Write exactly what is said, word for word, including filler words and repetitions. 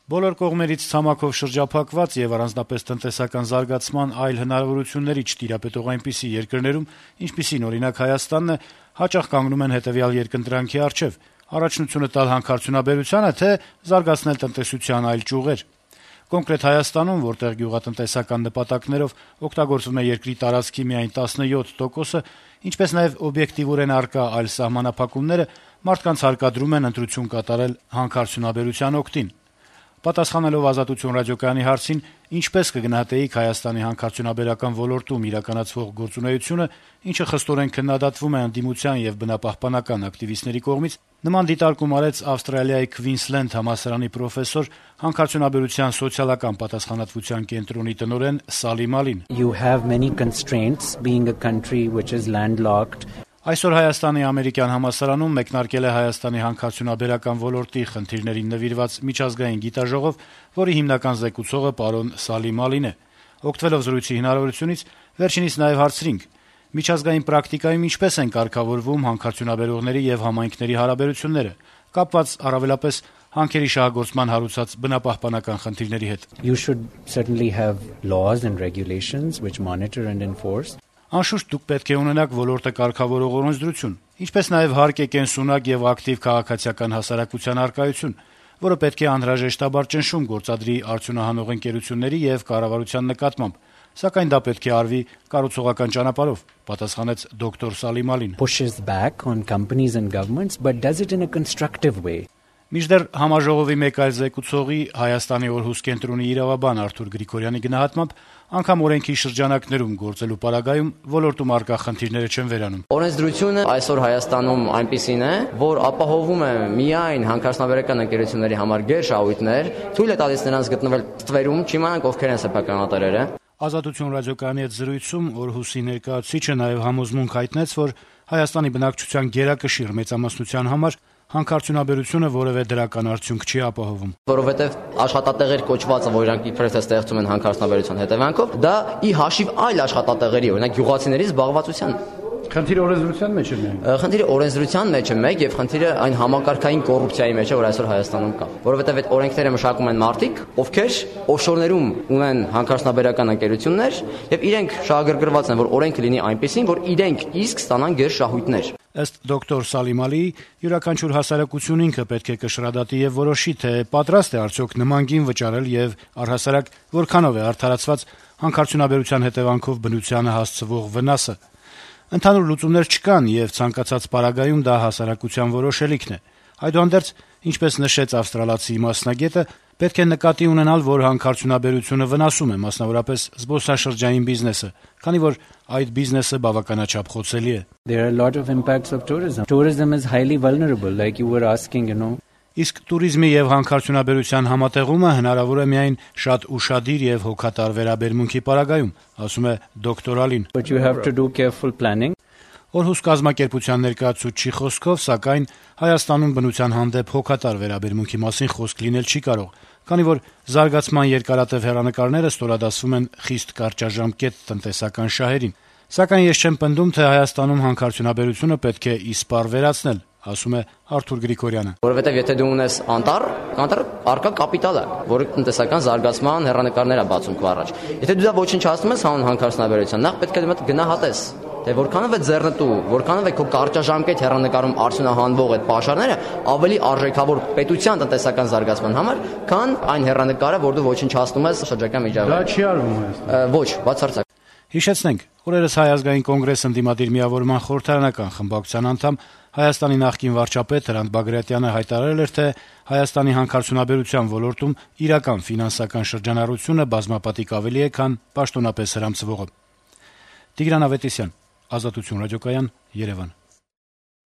Բոլոր կողմերից ցամաքով շրջափակված եւ առանձնապես տնտեսական զարգացման այլ հնարավորությունների չտիրապետող այնպիսի երկրներում, ինչպիսին օրինակ Հայաստանն է, հաճախ կանգնում են հետեւյալ երկընտրանքի առջեւ՝ առաջնությունը տալ հանքարդյունաբերությանը, թե զարգացնել տնտեսության այլ ճյուղեր։ Կոնկրետ Հայաստանում, որտեղ գյուղատնտեսական նպատակներով օգտագործվում է երկրի տարածքի միայն տասնյոթ տոկոսը, ինչպես նաեւ օբյեկտիվորեն առկա այլ սահմանափակումները, մարդկանց հարկադրում են ընտրություն կատարել հանքարդյունաբերության օգտին։ Պատասխանելով «Ազատություն» ռադիոկայանի հարցին, ինչպես կգնահատեիք Հայաստանի հանքարդյունաբերական ոլորտում իրականացվող գործունեությունը, ինչը խստորեն քննադատվում է ընդդիմության եւ բնապահպանական ակտիվիստների կողմից, նման դիտարկում արեց Ավստրալիայի Քվինսլենդ համալսարանի պրոֆեսոր, հանքարդյունաբերության սոցիալական պատասխանատվության կենտրոնի տնօրեն Սալի Մալին. You have many constraints being a country which is landlocked. Այսօր Հայաստանի ամերիկյան համալսարանում մեկնարկել է Հայաստանի հանքարդյունաբերական ոլորտի խնդիրներին նվիրված միջազգային գիտաժողով, որի հիմնական զեկուցողը պարոն Սալի Մալին է։ Օգտվելով զրույցի հնարավորությունից, վերջինիս նաև հարցրինք. միջազգային պրակտիկայում ինչպես են կարգավորվում հանքարդյունաբերողների եւ համայնքների հարաբերությունները, կապված առավելապես հանքերի շահագործման հարուցած բնապահպանական խնդիրների հետ։ You should certainly have laws and regulations which monitor and enforce. Անշուշտ դուք պետք է ունենաք ոլորտը կարգավորող օրենսդրություն, ինչպես նաև հարկ է կենսունակ եւ ակտիվ քաղաքացիական հասարակության առկայություն, որը պետք է անհրաժեշտաբար ճնշում գործադրի արդյունահանող ընկերությունների եւ կառավարության նկատմամբ, սակայն դա պետք է արվի կառուցողական ճանապարհով, պատասխանեց դոկտոր Սալի Մալին. Pushes back on companies and governments, but does it in a constructive way. Մինչդեռ համաժողովի մեկ այլ զեկուցողի Հայաստանի օրհուս կենտրոնի իրավաբան Արթուր Գրիգորյանի գնահատմամբ, անգամ օրենքի շրջանակներում գործելու պարագայում ոլորտում առկա խնդիրները չեն վերանում։ Օրենսդրությունը այսօր Հայաստանում այնպիսին է, որ ապահովում է միայն հանքարդյունաբերական ընկերությունների համար գերշահույթներ, թույլ է տալիս նրանց գտնվել ստվերում, չիմանանք ովքեր են սեփականատերերը։ Ազատություն ռադիոկայանի հետ զրույցում օրհուսի ներկայացուցիչը նաև համոզմունք հայտնեց, որ Հայաստանի բնակչության գերակշիռ մեծամասնության համար հանքարդյունաբերությունը որևէ դրական արդյունք չի ապահովում։ Որովհետև աշխատատեղեր կոչվածը, որ իրանք իբրև թե ստեղծում են հանքարդյունաբերության հետևանքով, դա ի հաշիվ այլ աշխատատեղերի, օրինակ գյուղացիների զբաղվածության։ Խնդիրը օրենսդրության մեջ է միայն։ Խնդիրը օրենսդրության մեջ է մեկ եւ խնդիրը այն համակարգային կոռուպցիայի մեջ է, որ այսօր Հայաստանում կա։ Որովհետև այդ օրենքները մշակում են մարդիկ, ովքեր օֆշորներում ունեն հանքարդյունաբերական ընկերություններ եւ իրենք շահագրգռված են, որ օրենքը լինի այնպեսին, որ իրենք իսկ ստանան գերշահույթներ։ Ըստ դոկտոր Սալի Մալիի, յուրաքանչյուր հասարակություն ինքը պետք է կշռադատի եւ որոշի, թե պատրաստ է արդյոք նման գին վճարել եւ առհասարակ որքանով է արդարացված հանքարդյունաբերության հետևանքով բնությանը հասցվող վնասը։ Ընդհանուր լուծումներ չկան եւ ցանկացած պարագայում դա հասարակության որոշելիքն է։ Այդուհանդերձ, ինչպես նշեց ավստրալացի մասնագետը, պետք է նկատի ունենալ, որ հանքարդյունաբերությունը վնասում է մասնավորապես զբոսաշրջային բիզնեսը, քանի որ այդ բիզնեսը բավականաչափ խոցելի է։ There are a lot of impacts of tourism. Tourism is highly vulnerable, like you were asking, you know. Իսկ туриզմի եւ հանքարդյունաբերության համատեղումը հնարավոր է միայն շատ ուշադիր եւ հոգատար վերաբերմունքի պարագայում, ասում է դոկտոր Ալին։ But you have to do careful planning. Օրհուս կազմակերպության ներկայացուցչի խոսքով, սակայն Հայաստանում բնության հանդեպ հոգատար վերաբերմունքի մասին խոսք լինել չի կարող, քանի որ զարգացման երկարատև հեռանկարները ստորադասվում են խիստ կարճաժամկետ տնտեսական շահերին։ Սակայն ես չեմ պնդում, թե Հայաստանում հանքարդյունաբերությունը պետք է իսպառ վերացնել, ասում է Արթուր Գրիգորյանը։ Որովհետև եթե դու ունես անտառ, անտառ արկա կապիտալ է, որը տնտեսական զարգացման հեռանկարներ է բացում քո առաջ։ Եթե դու դա ոչնչացնում ես հանուն հանքարդյունաբերության, նախ պետք է դու գնահատես, թե որքանով է ձեռնտու, որքանով է քո կարճաժամկետ հեռանկարում արդյունահանվող այդ պաշարները ավելի արժեքավոր պետության տնտեսական զարգացման համար, քան այն հեռանկարը, որ դու ոչնչացնում ես շրջակա միջավայրում։ Դա չի արվում Հայաստանում։ Ոչ, բացարձակ։ Հիշեցնենք, օրերս Հայ ազգային կոնգրես ընդդիմադիր միավորման խորհրդարանական խմբակցության անդամ Հայաստանի նախկին վարչապետ Հրանտ Բագրատյանը հայտարարել էր, թե Հայաստանի հանքարդյունաբերության ոլորտում իրական ֆինանսական շրջանառությունը բազմապատիկ ավելի է, քան պաշտոնապես հրամցվողը։ Տիգրան Ավետիսյան, Ազատություն ռադիոկայան, Երևան։